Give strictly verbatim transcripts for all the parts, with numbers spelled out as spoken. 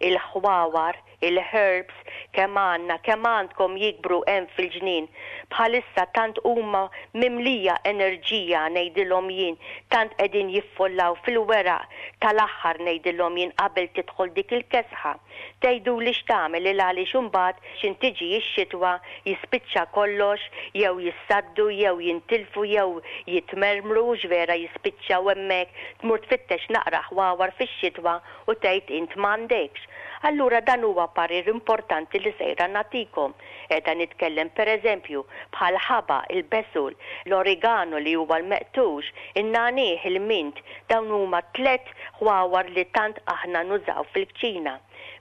Il-ħwawar, il-herbs, kemm għandna, kemm għandkom jikbru hemm fil-ġnien. Bħalissa tant huma mimlija enerġija, ngħidilhom jien, tant qegħdin jiffollaw fil-weraq tal-aħħar, ngħidilhom jien, qabel tidħol dik il-kesħa. Tgħidu li x'tagħmel, il għaliex imbagħad x'ħin tiġi x-xitwa jispiċċa kollox, jew jissaddu, jew jintilfu, jew jitmermru, x'vera jispiċċaw hemmhekk, tmur tfittex naqra ħwawar fix-xitwa u tgħid int m'għandekx. Allura dan huwa parir importanti li sejra nagħtikom. Qiegħda nitkellem, pereżempju, bħal ħabaq, il-basil, l-oregano li huwa l-meqtux, in-nagħniegħ, il-mint, dawn huma tliet ħwawar li tant aħna nużaw fil-kċina.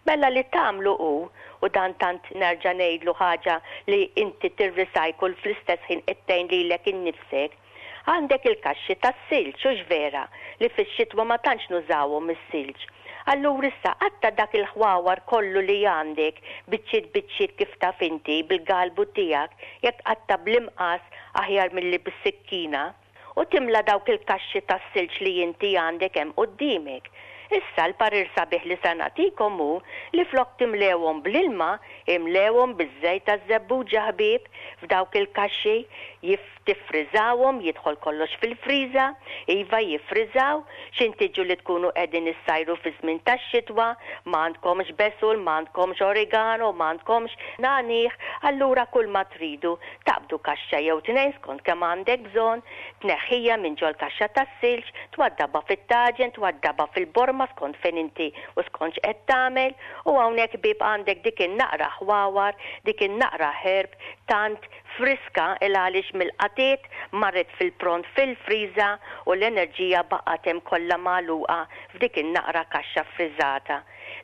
Mela li tagħmlu hu, u dan tant nerġa' ngħidlu ħaġa li inti tirrecycle, fl-istess ħin qed tgħin lilek innifsek. Għandek il-kaxxi tas-silġ, hux vera, li fix-xitwa ma tantx nużawhom is-silġ? Allura issa qatta' dak il-ħwawar kollu li għandek biċċiet biċċiet, kif taf inti bil-galbu tiegħek, jekk qatta' bl-imqas aħjar milli bis-sikkina, u timla dawk il-kaxxi tas-silġ li inti għandek hemm qudiemek. Issa l-parir sabiħ li sa nagħtikom hu li flok timlewhom bl-ilma, imlewhom biż-żejt taż-żebbuġa, ħbieb, f'dawk il-kaxxi, jif tiffriżawhom, jidħol kollox fil-friża, iva, jiffriżaw, x'ħin tiġu li tkunu qegħdin issajru fi żmien tax-xitwa, m'għandkomx basil, m'għandkomx oregano, m'għandkomx nagħniegħ, allura kull ma tridu taqbdu kaxxa jew tnejn skont kemm għandek bżonn, tneħħija minn ġol kaxxa tas-silġ, twaddabha fit-taġen, twaddabha fil-borma skont fejn inti u skont x'qed tagħmel, u hawnhekk, ħbieb, għandek dik in-naqra ħwawar, dik in-naqra herb tant friska, il għaliex mill-qatiet marret fil-pront fil-friża u l-enerġija baqgħet hemm kollha magħluqa f'dik in-naqra kaxxa friżata.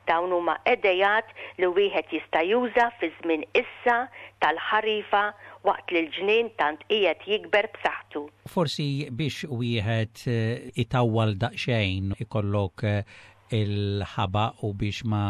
Dawn huma idejat li wieħed jista' juża fi żmien issa tal-ħarifa waqt li l-ġnien tant qiegħed jikber b'saħħtu. Forsi biex wieħed eh, itawwal daqsxejn ikollok eh, il-ħabaq u biex ma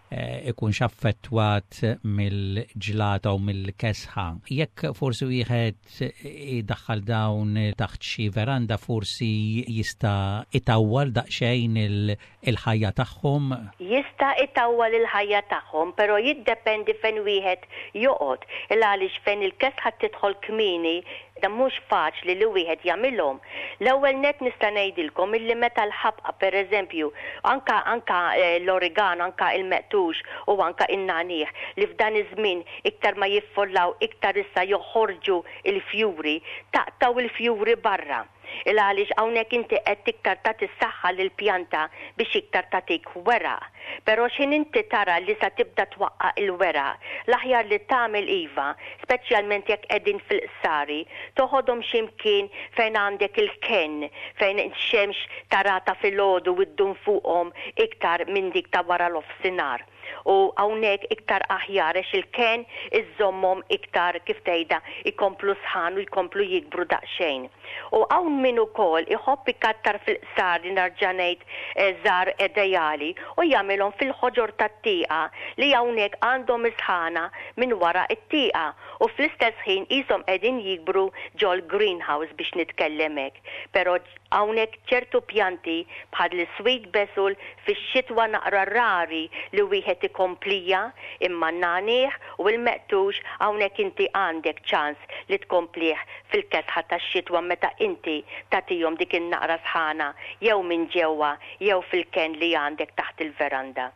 eh, ikunx affettwat mill-ġlata u mill-kesħa. Jekk forsi wieħed idaħħal dawn taħt xi veranda, forsi jista' itawwal daqsxejn il-ħajja tagħhom? Jista' itawwal il-ħajja tagħhom, però jiddependi fejn wieħed joqgħod. Il għaliex fejn il-kesħa tidħol kmieni, dan mhux faċli li wieħed jagħmilhom. L-ewwel net nista' ngħidilkom illi meta l-ħabqa, pereżempju, anka anka eh, l-oregano, anka il-meqtux u anka in-nagħniegħ, li f'dan iż-żmien iktar ma jiffollaw, iktar issa joħorġu il-fjuri, taqtaw il-fjuri barra. Il għaliex hawnhekk inti qed iktar tagħti s-saħħa lill-pjanta biex iktar tagħtik weraq. Però x'ħin inti tara li sa tibda twaqqa il-weraq, l-aħjar li tagħmel, iva, speċjalment jekk qegħdin fil-qsari, toħodhom x'imkien fejn għandek il-kenn, fejn x-xemx tarata filgħodu u ddum fuqhom iktar minn dik ta' wara l-offsinar. U hawnhekk iktar aħjar għax il-kenn iżommhom iktar, kif tgħidha, ikomplu sħan u jkomplu jikbru daqsxejn. U hawn min ukoll iħobb ikattar fil-qsar, li nerġa' ngħid eh, żar ideali, u jagħmilhom fil-ħoġor tat-tieqa li hawnhekk għandhom isħana minn wara it-tieqa u fl-istess ħin qishom qegħdin jikbru ġol greenhouse, biex nitkellem hekk. Però hawnhekk ċertu pjanti bħal sweet basil fix-xitwa naqra rari li wieħed ikomplija, imma n-nagħniegħ u l-meqtux hawnhekk inti għandek ċans li tkomplih fil-kesħa tax-xitwa meta inti tagħtihom dik in-naqra sħana jew minn ġewwa jew fil-kenn li għandek taħt il-veranda.